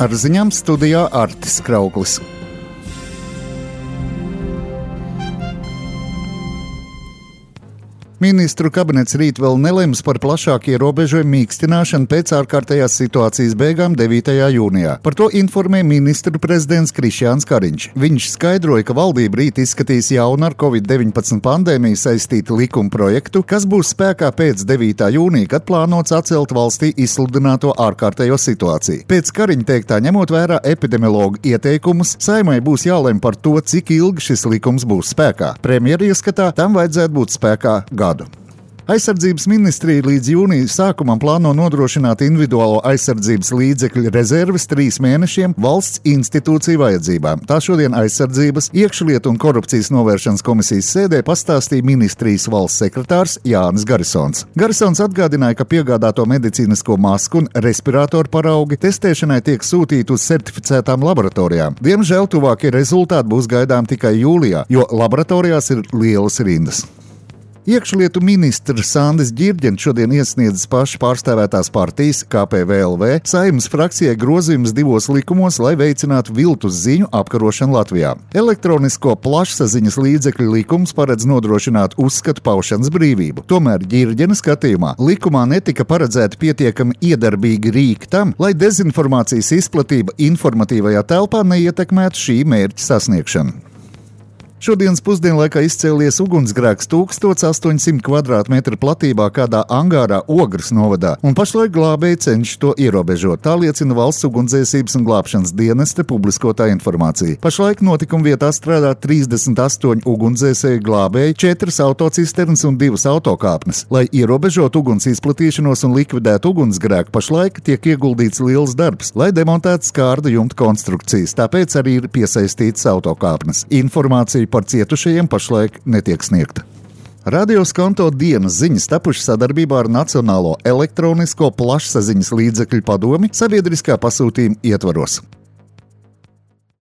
Ar ziņām studijā Artis Krauklis. Ministru kabinets rīt vēl nelems par plašāku ierobežojumu mīkstināšanu pēc ārkārtējās situācijas beigām 9. jūnijā. Par to informē ministru prezidents Krišjāns Kariņš. Viņš skaidroja, ka valdība rīt izskatīs jaunu ar Covid-19 pandēmiju saistītu likuma projektu, kas būs spēkā pēc 9. jūnija, kad plānots atcelt valstī izsludināto ārkārtējo situāciju. Pēc Kariņa teiktā, ņemot vērā epidemiologu ieteikumus, Saeimai būs jālem par to, cik ilgi šis likums būs spēkā. Premjera ieskatā tam vajadzētu būt spēkā gadu. Aizsardzības ministrija līdz jūnija sākumam plāno nodrošināt individuālo aizsardzības līdzekļu rezerves 3 mēnešiem valsts institūciju vajadzībām. Tā šodien Aizsardzības, iekšlietu un korupcijas novēršanas komisijas sēdē pastāstīja ministrijas valsts sekretārs Jānis Garisons. Garisons atgādināja, ka piegādāto medicīnisko masku un respiratoru paraugi testēšanai tiek sūtīti uz certificētām laboratorijām. Diemžēl tuvākie rezultāti būs gaidām tikai jūlijā, jo laboratorijās ir lielas rindas. Iekšlietu ministrs Sandis Ģirģents šodien iesniedzis paši pārstāvētās partijas KPVLV Saeimas frakcijai grozījumus 2 likumos, lai veicinātu viltus ziņu apkarošanu Latvijā. Elektronisko plašsaziņas līdzekļu likums paredz nodrošināt uzskatu paušanas brīvību. Tomēr Ģirģena skatījumā likumā netika paredzēti pietiekami iedarbīgi rīki tam, lai dezinformācijas izplatība informatīvajā telpā neietekmētu šī mērķa sasniegšanu. Šodienas pusdienlaikā izcēlies ugunsgrēks 1800 kvadrātmetru platībā kādā angārā Ogres novadā, un pašlaik glābēji cenšas to ierobežot. Tā liecina Valsts ugunsdzēsības un glābšanas dienesta publiskotā informācija. Pašlaik notikuma vietā strādā 38 ugunsdzēsēju glābēji, 4 autocisternas un 2 autokāpnes. Lai ierobežot uguns izplatīšanos un likvidētu ugunsgrēku, pašlaik tiek ieguldīts liels darbs, lai demontētu skārda jumta konstrukcijas, tāpēc arī ir piesaistītas autokāpnes. Informācija par cietušajiem pašlaik netiek sniegta. Radio Skonto dienas ziņas tapušas sadarbībā ar Nacionālo elektronisko plašsaziņas līdzekļu padomi sabiedriskā pasūtījuma ietvaros.